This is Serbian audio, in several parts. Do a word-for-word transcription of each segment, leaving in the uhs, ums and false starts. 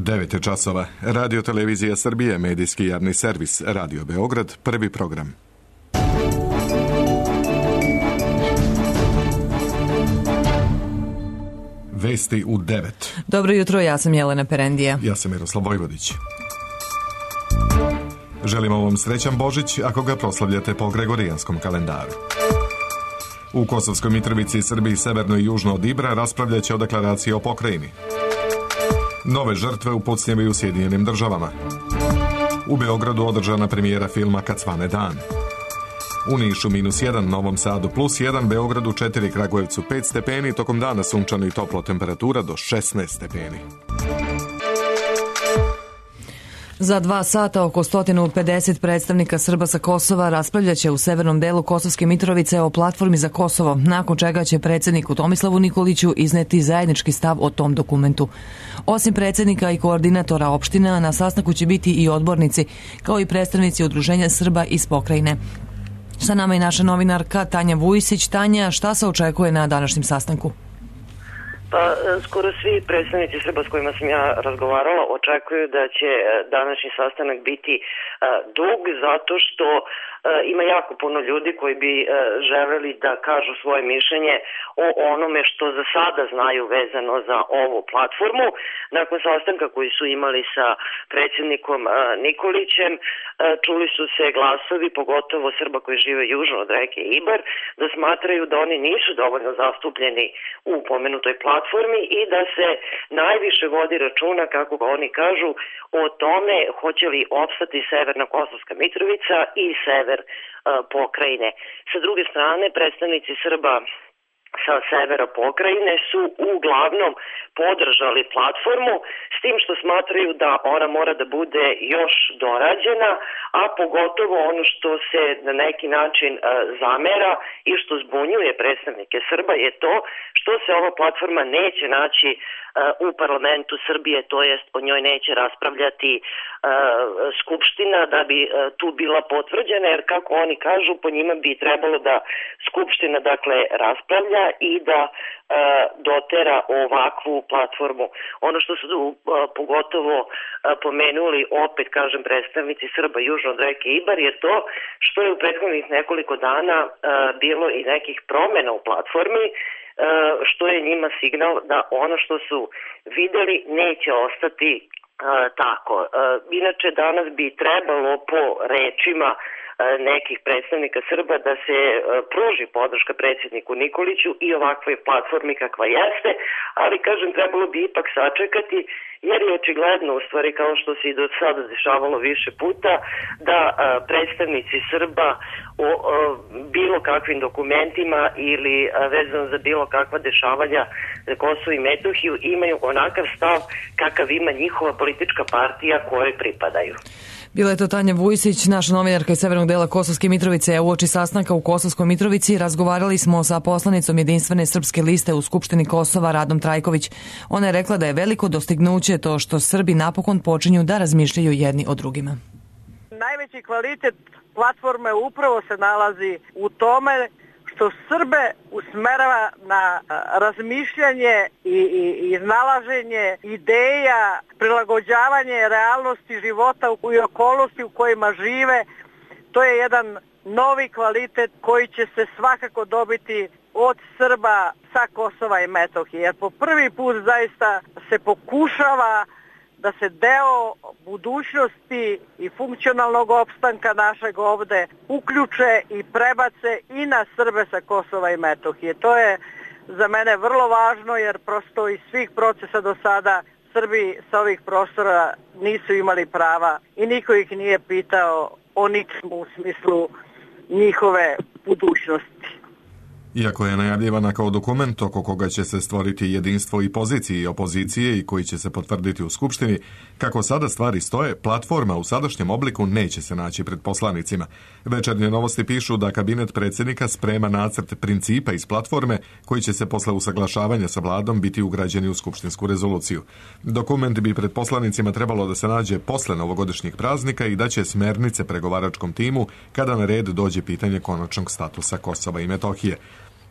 devet je časova. Radio Televizija Srbije, medijski javni servis, Radio Beograd, prvi program. Vesti u devet. Dobro jutro, ja sam Jelena Perendija. Ja sam Miroslav Vojvodić. Želimo vam srećan Božić ako ga proslavljate po Gregorijanskom kalendaru. U Kosovskoj Mitrovici, Srbiji severno i južno od Ibra raspravljat će o deklaraciji o pokrajini. Nove žrtve u pucnjevi u Sjedinjenim državama. U Beogradu održana premijera filma Kad svane dan. U Nišu minus jedan, Novom Sadu plus jedan, Beogradu četiri, Kragujevcu pet stepeni, tokom dana sunčano i toplo, temperatura do šesnaest stepeni. Za dva sata oko sto pedeset predstavnika Srba sa Kosova raspravljaće u severnom delu Kosovske Mitrovice o platformi za Kosovo, nakon čega će predsjedniku Tomislavu Nikoliću izneti zajednički stav o tom dokumentu. Osim predsjednika i koordinatora opština, na sastanku će biti i odbornici, kao i predstavnici udruženja Srba iz pokrajine. Sa nama je naša novinarka Tanja Vujsić. Tanja, šta se očekuje na današnjem sastanku? Pa, skoro svi predstavnici Srba s kojima sam ja razgovarala očekuju da će današnji sastanak biti dug, zato što ima jako puno ljudi koji bi želeli da kažu svoje mišljenje o onome što za sada znaju vezano za ovu platformu. Nakon sastanka koji su imali sa predsjednikom Nikolićem, čuli su se glasovi, pogotovo Srba koji žive južno od reke Ibar, da smatraju da oni nisu dovoljno zastupljeni u pomenutoj platformi i da se najviše vodi računa, kako oni kažu, o tome hoće li opstati Severna Kosovska Mitrovica i sever pokrajine. Sa druge strane, predstavnici Srba sa severa pokrajine su uglavnom podržali platformu, s tim što smatraju da ona mora da bude još dorađena, a pogotovo ono što se na neki način zamera i što zbunjuje predstavnike Srba je to što se ova platforma neće naći u parlamentu Srbije, to jest o njoj neće raspravljati Skupština da bi tu bila potvrđena, jer kako oni kažu, po njima bi trebalo da Skupština dakle raspravlja i da dotera ovakvu platformu. Ono što su pogotovo pomenuli, opet kažem, predstavnici Srba južno od reke Ibar, je to što je u prethodnih nekoliko dana bilo i nekih promjena u platformi, što je njima signal da ono što su videli neće ostati tako. Inače, danas bi trebalo po rečima nekih predstavnika Srba da se pruži podrška predsjedniku Nikoliću i ovakvoj platformi kakva jeste, ali kažem, trebalo bi ipak sačekati, jer je očigledno, u stvari, kao što se i do sada dešavalo više puta, da predstavnici Srba o, o bilo kakvim dokumentima ili vezano za bilo kakva dešavanja za Kosovo i Metohiju imaju onakav stav kakav ima njihova politička partija kojoj pripadaju. Bila je to Tanja Vujsić, naša novinarka iz severnog dela Kosovske Mitrovice. Uoči sastanka u Kosovskoj Mitrovici razgovarali smo sa poslanicom Jedinstvene srpske liste u Skupštini Kosova, Radom Trajković. Ona je rekla da je veliko dostignuće to što Srbi napokon počinju da razmišljaju jedni o drugima. Najveći kvalitet platforme upravo se nalazi u tome što Srbe usmerava na razmišljanje i, i, i iznalaženje ideja, prilagođavanje realnosti života i okolnosti u kojima žive. To je jedan novi kvalitet koji će se svakako dobiti od Srba sa Kosova i Metohije. Jer po prvi put zaista se pokušava da se deo budućnosti i funkcionalnog opstanka našeg ovde uključe i prebace i na Srbe sa Kosova i Metohije. To je za mene vrlo važno, jer prosto iz svih procesa do sada Srbi sa ovih prostora nisu imali prava i niko ih nije pitao o ničemu u smislu njihove budućnosti. Iako je najavljivana kao dokument oko koga će se stvoriti jedinstvo i pozicije i opozicije i koji će se potvrditi u Skupštini, kako sada stvari stoje, platforma u sadašnjem obliku neće se naći pred poslanicima. Večernje novosti pišu da kabinet predsjednika sprema nacrt principa iz platforme koji će se posle usaglašavanja sa vladom biti ugrađeni u skupštinsku rezoluciju. Dokument bi pred poslanicima trebalo da se nađe posle novogodišnjih praznika i da će smernice pregovaračkom timu kada na red dođe pitanje konačnog statusa Kosova i Metohije.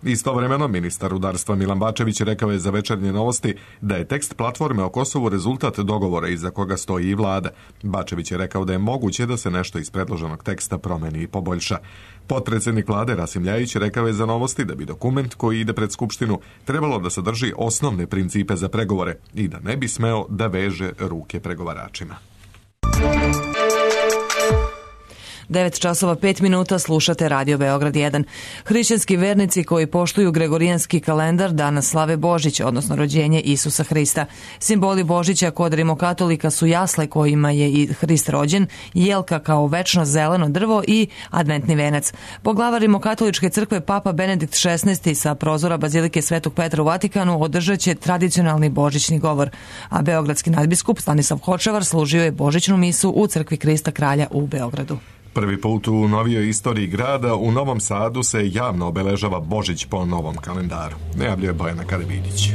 Istovremeno, ministar rudarstva Milan Bačević rekao je za Večernje novosti da je tekst platforme o Kosovu rezultat dogovora iza koga stoji i vlada. Bačević je rekao da je moguće da se nešto iz predloženog teksta promeni i poboljša. Potpredsjednik vlade Rasim Ljajić rekao je za novosti da bi dokument koji ide pred Skupštinu trebalo da sadrži osnovne principe za pregovore i da ne bi smeo da veže ruke pregovaračima. devet časova pet minuta, slušate Radio Beograd jedan. Hrišćanski vernici koji poštuju gregorijanski kalendar danas slave Božić, odnosno rođenje Isusa Hrista. Simboli Božića kod rimokatolika su jasle kojima je i Hrist rođen, jelka kao večno zeleno drvo i adventni venac. Poglavar rimokatoličke crkve Papa Benedikt šesnaesti sa prozora Bazilike Svetog Petra u Vatikanu održat će tradicionalni božićni govor, a beogradski nadbiskup Stanislav Hočevar služio je božićnu misu u crkvi Krista Kralja u Beogradu. Prvi put u novijoj istoriji grada u Novom Sadu se javno obeležava Božić po novom kalendaru. Najavljuje Bojana Karavidić.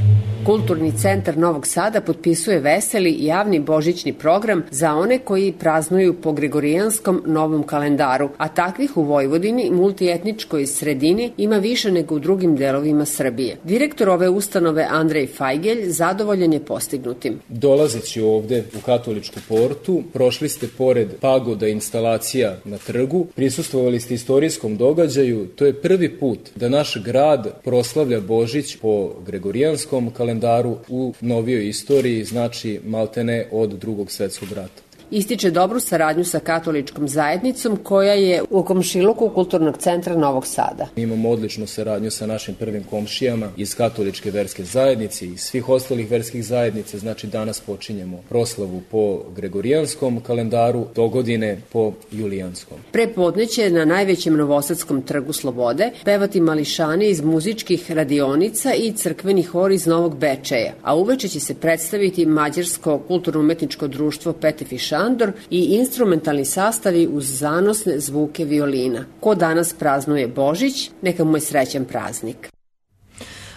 Kulturni centar Novog Sada potpisuje veseli javni božićni program za one koji praznuju po gregorijanskom novom kalendaru, a takvih u Vojvodini, multietničkoj sredini, ima više nego u drugim delovima Srbije. Direktor ove ustanove Andrej Fajgelj zadovoljan je postignutim. Dolazeći ovde u Katoličku portu, prošli ste pored pagoda instalacija na trgu, prisustvovali ste istorijskom događaju. To je prvi put da naš grad proslavlja Božić po gregorijanskom kalendaru u novijoj istoriji, znači maltene od Drugog svetskog rata. Ističe dobru saradnju sa katoličkom zajednicom koja je u komšiluku Kulturnog centra Novog Sada. Imamo odličnu saradnju sa našim prvim komšijama iz katoličke verske zajednice i svih ostalih verskih zajednica, znači danas počinjemo proslavu po gregorijanskom kalendaru, do godine po julijanskom. Prepodne će na najvećem novosadskom trgu Slobode pevati mališani iz muzičkih radionica i crkveni hor iz Novog Bečeja, a uveče će se predstaviti Mađarsko kulturno-umetničko društvo Petefiš Andor i instrumentalni sastavi uz zanosne zvuke violina. Ko danas praznuje Božić, neka mu je srećan praznik.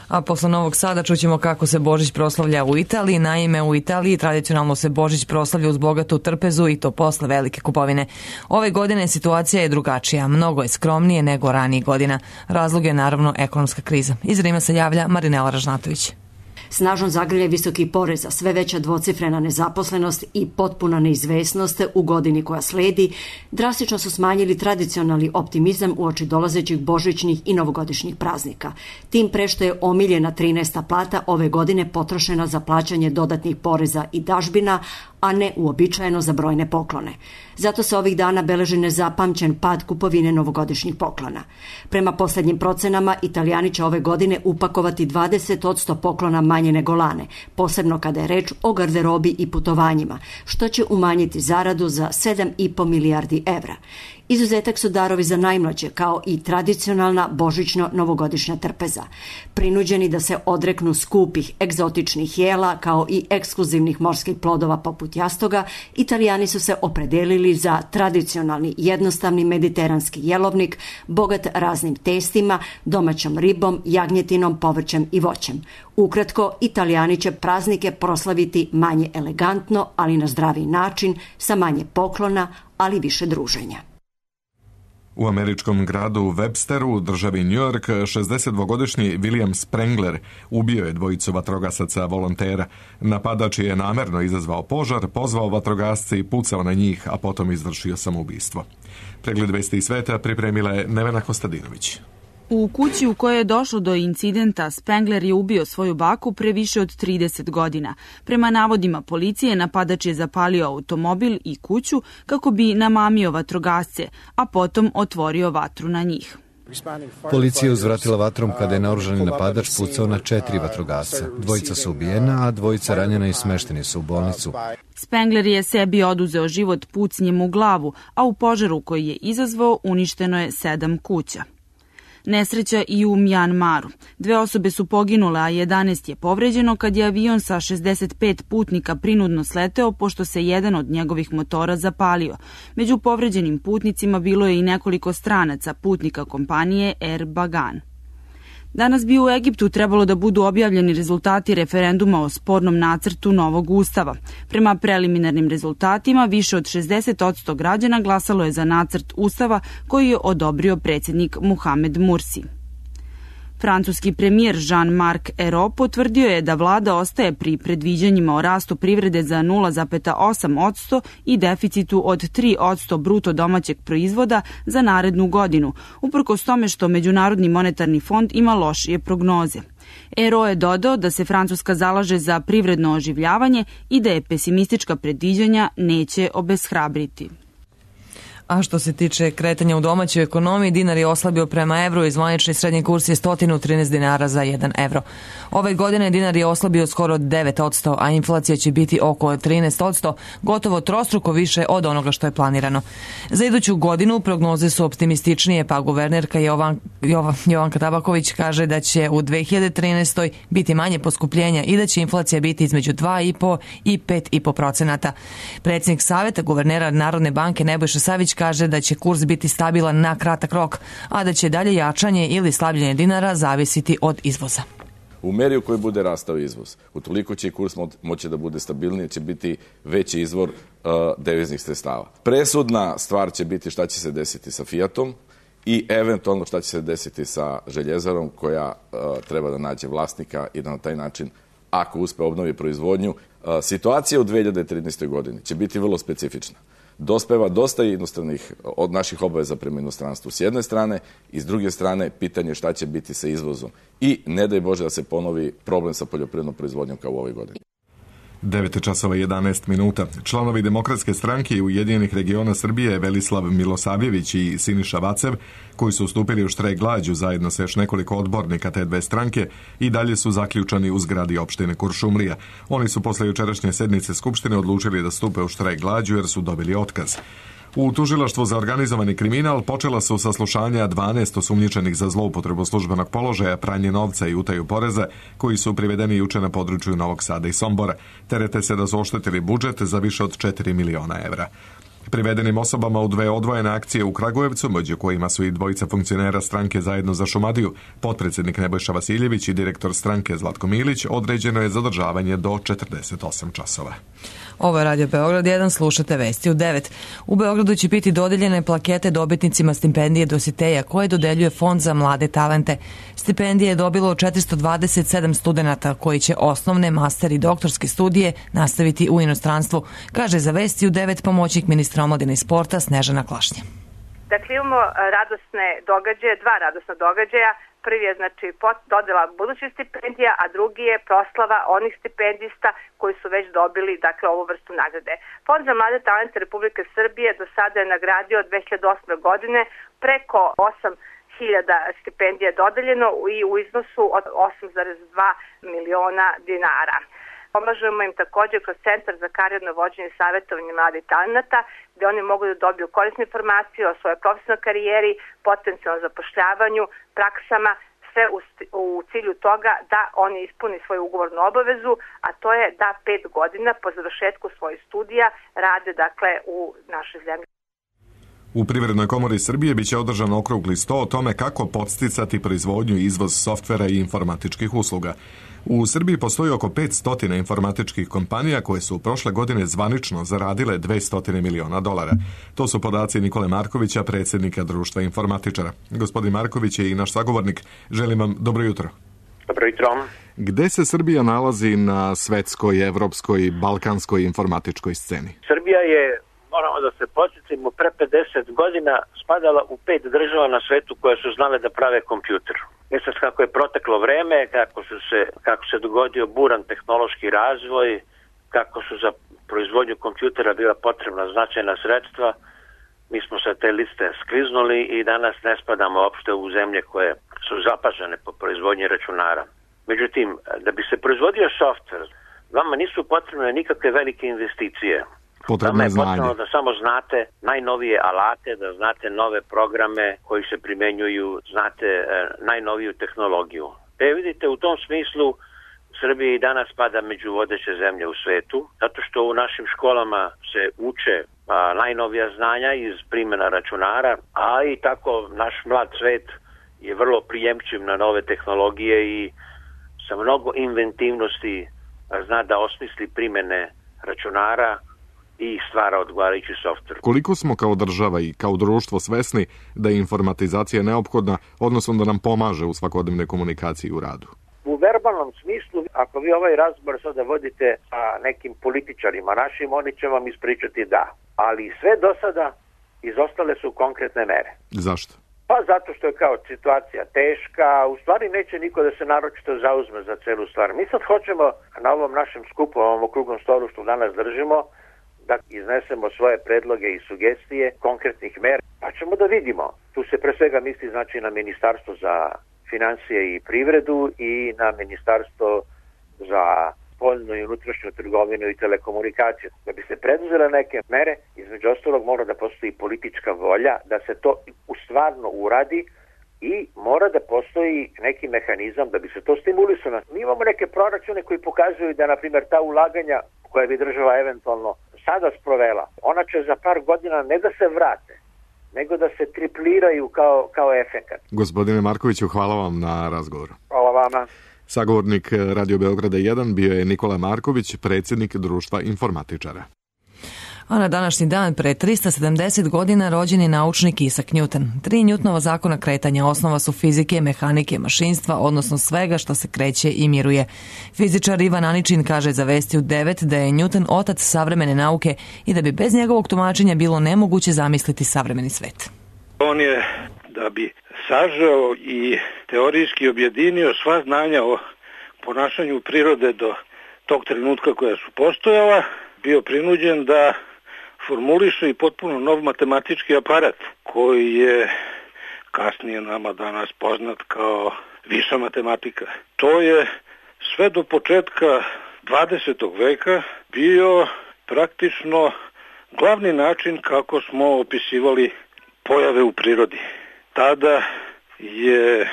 A posle Novog Sada čućemo kako se Božić proslavlja u Italiji. Naime, u Italiji tradicionalno se Božić proslavlja uz bogatu trpezu i to posle velike kupovine. Ove godine situacija je drugačija, mnogo je skromnije nego ranijih godina. Razlog je naravno ekonomska kriza. Iz Rima se javlja Marinela Ražnatović. Snažan zagrljaj visokih poreza, sve veća dvocifrena nezaposlenost i potpuna neizvesnost u godini koja sledi drastično su smanjili tradicionalni optimizam uoči dolazećih božićnih i novogodišnjih praznika. Tim pre što je omiljena trinaesta plata ove godine potrošena za plaćanje dodatnih poreza i dažbina, a ne uobičajeno za brojne poklone. Zato se ovih dana beleži nezapamćen pad kupovine novogodišnjih poklona. Prema poslednjim procenama, Italijani će ove godine upakovati dvadeset posto poklona manje nego lane, posebno kada je reč o garderobi i putovanjima, što će umanjiti zaradu za sedam i po milijardi evra. Izuzetak su darovi za najmlađe, kao i tradicionalna božićno-novogodišnja trpeza. Prinuđeni da se odreknu skupih egzotičnih jela, kao i ekskluzivnih morskih plodova poput jastoga, Italijani su se opredelili za tradicionalni jednostavni mediteranski jelovnik, bogat raznim testima, domaćom ribom, jagnjetinom, povrćem i voćem. Ukratko, Italijani će praznike proslaviti manje elegantno, ali na zdraviji način, sa manje poklona, ali više druženja. U američkom gradu Websteru, državi New York, šezdesetdvogodišnji William Sprengler ubio je dvojicu vatrogasaca volontera. Napadač je namerno izazvao požar, pozvao vatrogasce i pucao na njih, a potom izvršio samoubistvo. Pregled vesti i sveta pripremila je Nevena Kostadinović. U kući u kojoj je došlo do incidenta, Spengler je ubio svoju baku pre više od trideset godina. Prema navodima policije, napadač je zapalio automobil i kuću kako bi namamio vatrogasce, a potom otvorio vatru na njih. Policija je uzvratila vatrom kada je naoružani napadač pucao na četiri vatrogasca. Dvojica su ubijena, a dvojica ranjena i smešteni su u bolnicu. Spengler je sebi oduzeo život pucnjem u glavu, a u požaru koji je izazvao uništeno je sedam kuća. Nesreća i u Mjanmaru. Dve osobe su poginule, a jedanaest je povređeno kad je avion sa šezdeset pet putnika prinudno sleteo pošto se jedan od njegovih motora zapalio. Među povređenim putnicima bilo je i nekoliko stranaca, putnika kompanije Air Bagan. Danas bi u Egiptu trebalo da budu objavljeni rezultati referenduma o spornom nacrtu novog ustava. Prema preliminarnim rezultatima, više od šezdeset posto građana glasalo je za nacrt ustava koji je odobrio predsjednik Muhamed Mursi. Francuski premijer Jean-Marc Ayrault potvrdio je da vlada ostaje pri predviđanjima o rastu privrede za nula zarez osam posto i deficitu od tri posto bruto domaćeg proizvoda za narednu godinu, uprkos tome što Međunarodni monetarni fond ima lošije prognoze. Ayrault je dodao da se Francuska zalaže za privredno oživljavanje i da je pesimistička predviđanja neće obeshrabriti. A što se tiče kretanja u domaćoj ekonomiji, dinar je oslabio prema evru i zvanični srednji kurs je sto trinaest dinara za jedan evro. Ove godine dinar je oslabio skoro devet posto, a inflacija će biti oko trinaest posto, gotovo trostruko više od onoga što je planirano. Za iduću godinu prognoze su optimističnije, pa guvernerka Jovan, Jovan, Jovanka Tabaković kaže da će u dve hiljade trinaestoj. biti manje poskupljenja i da će inflacija biti između dva i po i pet i po procenata. Predsjednik saveta guvernera Narodne banke Nebojša Savić kaže da će kurs biti stabilan na kratak rok, a da će dalje jačanje ili slabljenje dinara zavisiti od izvoza. U meri u kojoj bude rastao izvoz, utoliko će i kurs moći da bude stabilniji, će biti veći izvor uh, deviznih sredstava. Presudna stvar će biti šta će se desiti sa Fiatom i eventualno šta će se desiti sa Željezarom koja uh, treba da nađe vlasnika i da na taj način, ako uspe obnovi proizvodnju. Uh, situacija u dve hiljade trinaestoj. godini će biti vrlo specifična. Dospeva dosta inostranih od naših obaveza prema inostranstvu s jedne strane i s druge strane pitanje šta će biti sa izvozom. I ne daj Bože da se ponovi problem sa poljoprivrednom proizvodnjom kao u ovoj godini. devet časova i jedanaest minuta. Članovi Demokratske stranke i Ujedinjenih regiona Srbije Velislav Milosavljević i Siniša Vacev, koji su ustupili u štrajk glađu zajedno sa još nekoliko odbornika te dve stranke, i dalje su zaključani u zgradi opštine Kuršumlija. Oni su posle jučerašnje sednice Skupštine odlučili da stupe u štrajk glađu jer su dobili otkaz. U tužilaštvu za organizovani kriminal počela su saslušanja dvanaest osumnjičenih za zloupotrebu službenog položaja, pranje novca i utaju poreza, koji su privedeni juče na području Novog Sada i Sombora. Terete se da su oštetili budžet za više od četiri miliona evra. Privedenim osobama u dve odvojene akcije u Kragujevcu, među kojima su i dvojica funkcionera stranke Zajedno za Šumadiju, potpredsjednik Nebojša Vasiljević i direktor stranke Zlatko Milić, određeno je zadržavanje do četrdeset osam časova. Ovo je Radio Beograd jedan, slušate vesti u devet. U Beogradu će biti dodeljene plakete dobitnicima stipendije Dositeja koje dodeljuje Fond za mlade talente. Stipendije je dobilo četiristo dvadeset sedam studenata koji će osnovne, master i doktorske studije nastaviti u inostranstvu, kaže za vesti u devet pomoćnik ministra omladine i sporta Snežana Klašnja. Dakle, imamo radosne događaje, dva radosna događaja. Prvi je znači dodela budućih stipendija, a drugi je proslava onih stipendista koji su već dobili dakle ovu vrstu nagrade. Fond za mlade talente Republike Srbije do sada je nagradio od dve hiljade osme. godine preko osam hiljada stipendija dodeljeno i u iznosu od osam zarez dva miliona dinara. Pomažemo im također kroz Centar za karijerno vođenje i savjetovanje mladih talenata, gdje oni mogu da dobiju korisne informacije o svojoj profesionalnoj karijeri, potencijalnom zapošljavanju, praksama, sve u, u cilju toga da oni ispuni svoju ugovornu obavezu, a to je da pet godina po završetku svojih studija rade dakle u našoj zemlji. U Privrednoj komori Srbije biće održan okrugli sto o tome kako podsticati proizvodnju i izvoz softvera i informatičkih usluga. U Srbiji postoji oko petsto informatičkih kompanija koje su prošle godine zvanično zaradile dvesta miliona dolara. To su podaci Nikole Markovića, predsjednika Društva informatičara. Gospodin Marković je i naš sagovornik. Želim vam dobro jutro. Dobro jutro. Gde se Srbija nalazi na svetskoj, evropskoj, balkanskoj informatičkoj sceni? Srbija je, moramo da se podsjetimo, pre pedeset godina spadala u pet država na svetu koje su znale da prave kompjuter. I sad kako je proteklo vreme, kako, su se, kako se dogodio buran tehnološki razvoj, kako su za proizvodnju kompjutera bila potrebna značajna sredstva, mi smo sa te liste skliznuli i danas ne spadamo uopšte u zemlje koje su zapažene po proizvodnji računara. Međutim, da bi se proizvodio softver, vama nisu potrebne nikakve velike investicije. Vama je potrebno da samo znate najnovije alate, da znate nove programe koji se primenjuju, znate e, najnoviju tehnologiju. E vidite, u tom smislu Srbija i danas spada među vodeće zemlje u svetu, zato što u našim školama se uče a, najnovija znanja iz primjena računara, a i tako naš mlad svet je vrlo prijemčiv na nove tehnologije i sa mnogo inventivnosti zna da osmisli primjene računara i stvara odgovarajući softver. Koliko smo kao država i kao društvo svesni da je informatizacija neophodna, odnosno da nam pomaže u svakodnevnoj komunikaciji u radu? U verbalnom smislu, ako vi ovaj razgovor sada vodite sa nekim političarima našim, oni će vam ispričati da. Ali sve do sada izostale su konkretne mere. Zašto? Pa zato što je kao situacija teška, u stvari neće niko da se naročito zauzme za celu stvar. Mi sad hoćemo na ovom našem skupu, ovom okruglom stolu što danas držimo, da iznesemo svoje predloge i sugestije konkretnih mera, pa ćemo da vidimo. Tu se pre svega misli znači na Ministarstvo za financije i privredu i na Ministarstvo za spoljnu i unutrašnju trgovinu i telekomunikaciju. Da bi se preduzele neke mere, između ostalog mora da postoji politička volja da se to u stvarno uradi i mora da postoji neki mehanizam da bi se to stimulisalo. Mi imamo neke proračune koji pokazuju da, na primjer, ta ulaganja koje bi država eventualno sada sprovela, ona će za par godina ne da se vrate, nego da se tripliraju kao, kao efekat. Gospodine Markoviću, hvala vam na razgovoru. Hvala vama. Sagovornik Radio Beograda jedan bio je Nikola Marković, predsjednik Društva informatičara. A na današnji dan pre trista sedamdeset godina rođen je naučnik Isaac Newton. Tri Newtonova zakona kretanja osnova su fizike, mehanike, mašinstva, odnosno svega što se kreće i miruje. Fizičar Ivan Aničin kaže za Vesti u devet da je Newton otac savremene nauke i da bi bez njegovog tumačenja bilo nemoguće zamisliti savremeni svet. On je, da bi sažao i teorijski objedinio sva znanja o ponašanju prirode do tog trenutka koja su postojala, bio prinuđen da formuliše i potpuno nov matematički aparat koji je kasnije nama danas poznat kao viša matematika. To je sve do početka dvadesetog veka bio praktično glavni način kako smo opisivali pojave u prirodi. Tada je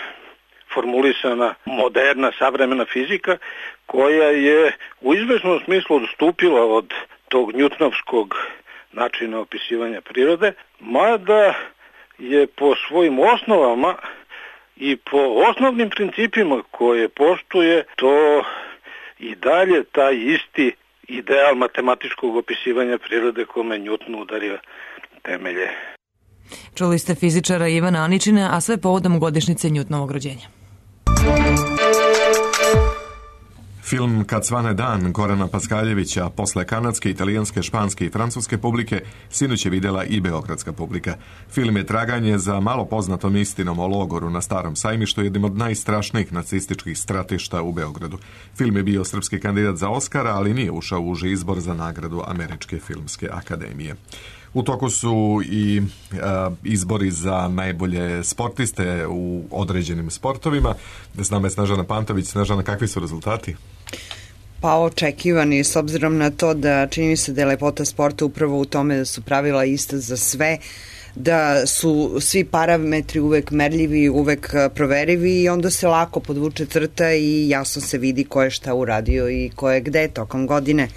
formulisana moderna savremena fizika koja je u izvesnom smislu odstupila od tog njutnovskog načina opisivanja prirode, mada je po svojim osnovama i po osnovnim principima koje poštuje to i dalje taj isti ideal matematičkog opisivanja prirode kome Newton udario temelje. Čuli ste fizičara Ivana Aničina, a sve povodom godišnjice Newtonovog rođenja. Film Kad svane dan Gorana Paskaljevića posle kanadske, italijanske, španske i francuske publike sinoć je vidjela i beogradska publika. Film je traganje za malo poznatom istinom o logoru na Starom sajmištu, jednim od najstrašnijih nacističkih stratišta u Beogradu. Film je bio srpski kandidat za Oskara, ali nije ušao u uži izbor za nagradu Američke filmske akademije. U toku su i a, izbori za najbolje sportiste u određenim sportovima. S nama je Snežana Pantović. Snežana, kakvi su rezultati? Pa očekivani, s obzirom na to da čini mi se da je lepota sporta upravo u tome da su pravila ista za sve, da su svi parametri uvek merljivi, uvek proverivi i onda se lako podvuče crta i jasno se vidi ko je šta uradio i ko je gde tokom godine.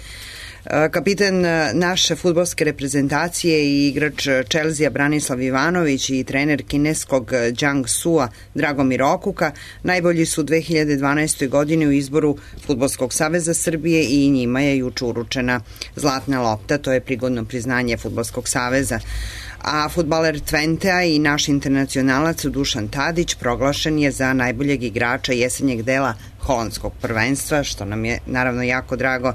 Kapitan naše fudbalske reprezentacije i igrač Chelsea Branislav Ivanović i trener kineskog Jiangsu-a Dragomir Okuka najbolji su u dve hiljade dvanaestoj. godini u izboru Fudbalskog saveza Srbije i njima je juče uručena zlatna lopta, to je prigodno priznanje Fudbalskog saveza. A fudbaler Twentea i naš internacionalac Dušan Tadić proglašen je za najboljeg igrača jesenjeg dela holandskog prvenstva, što nam je naravno jako drago.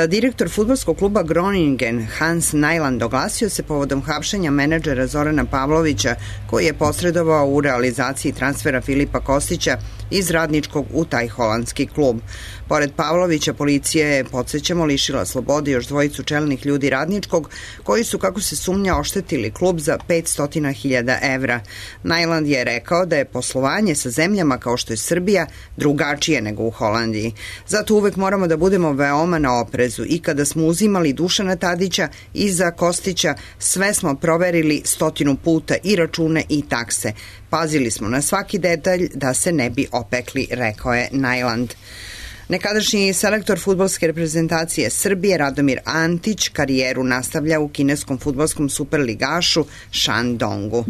Direktor fudbalskog kluba Groningen Hans Najland oglasio se povodom hapšenja menadžera Zorana Pavlovića, koji je posredovao u realizaciji transfera Filipa Kostića iz Radničkog u taj holandski klub. Pored Pavlovića, policija je, podsjećamo, lišila slobode još dvojicu čelnih ljudi Radničkog, koji su, kako se sumnja, oštetili klub za petsto hiljada evra. Najland je rekao da je poslovanje sa zemljama kao što je Srbija drugačije nego u Holandiji. Zato uvek moramo da budemo veoma na oprezu i kada smo uzimali Dušana Tadića i za Kostića, sve smo proverili stotinu puta i račune i takse. Pazili smo na svaki detalj da se ne bi opekli, rekao je Najland. Nekadašnji selektor fudbalske reprezentacije Srbije Radomir Antić karijeru nastavlja u kineskom fudbalskom superligašu Shandongu.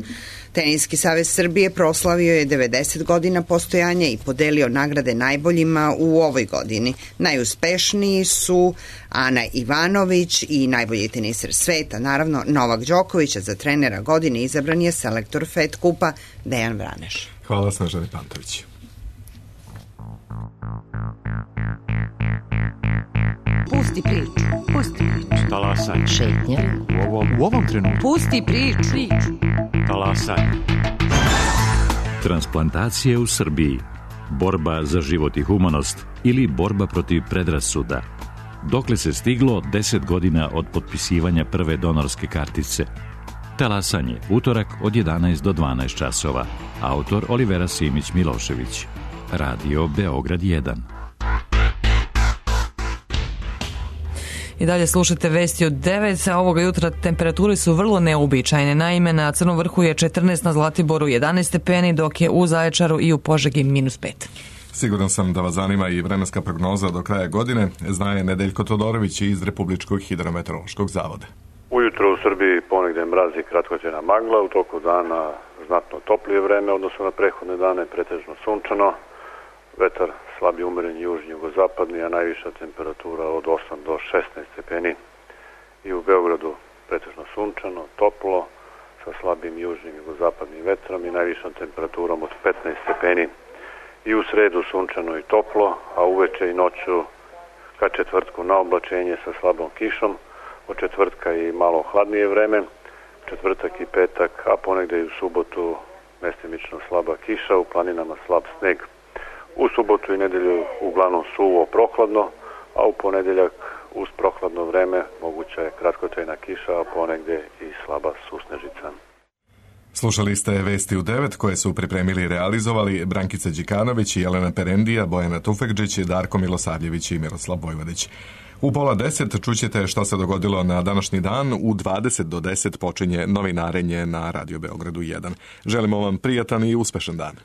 Teniski savez Srbije proslavio je devedeset godina postojanja i podelio nagrade najboljima u ovoj godini. Najuspešniji su Ana Ivanović i najbolji teniser sveta, naravno Novak Đoković, a za trenera godine izabran je selektor Fed Kupa Dejan Vraneš. Hvala Snežani Pantović. Pusti priču, pusti priču. Talasaj. Šetnja. U ovom, u ovom trenutku. Pusti priču. priču. Talasaj. Transplantacije u Srbiji. Borba za život i humanost ili borba protiv predrasuda. Dokle se stiglo deset godina od potpisivanja prve donorske kartice. Talasanje, utorak od jedanaest do dvanaest časova. Autor Olivera Simić Milošević. Radio Beograd jedan. I dalje slušate vesti od devet. Ovoga jutra temperature su vrlo neobičajne. Naime, na Crnom vrhu je četrnaest, na Zlatiboru jedanaest stepeni, dok je u Zaječaru i u Požegi minus pet. Siguran sam da vas zanima i vremenska prognoza do kraja godine, zna je Nedeljko Todorović iz Republičkog hidrometeorološkog zavoda. Ujutro u Srbiji ponegde mraz i kratkotrajna magla, u toku dana znatno toplije vreme, odnosno na prethodne dane pretežno sunčano, vetar slabi umeren južni jugozapadni, a najviša temperatura od osam do šesnaest stepeni. I u Beogradu pretežno sunčano, toplo, sa slabim južnim jugozapadnim vetrom i najvišom temperaturom od petnaest stepeni. I u sredu sunčano i toplo, a uveče i noću ka četvrtku na oblačenje sa slabom kišom, od četvrtka i malo hladnije vreme, četvrtak i petak, a ponegde i u subotu mestimično slaba kiša, u planinama slab sneg. U subotu i nedelju uglavnom suvo prohladno, a u ponedeljak uz prohladno vreme moguća je kratkotrajna kiša, a ponegde i slaba susnežica. Slušali ste Vesti u devet koje su pripremili i realizovali Brankica Đikanović i Jelena Perendija, Bojana Tufekđić, Darko Milosavljević i Miroslav Vojvodić. U pola deset čućete šta se dogodilo na današnji dan. U dvadeset do deset počinje novinarenje na Radio Beogradu jedan. Želimo vam prijatan i uspešan dan.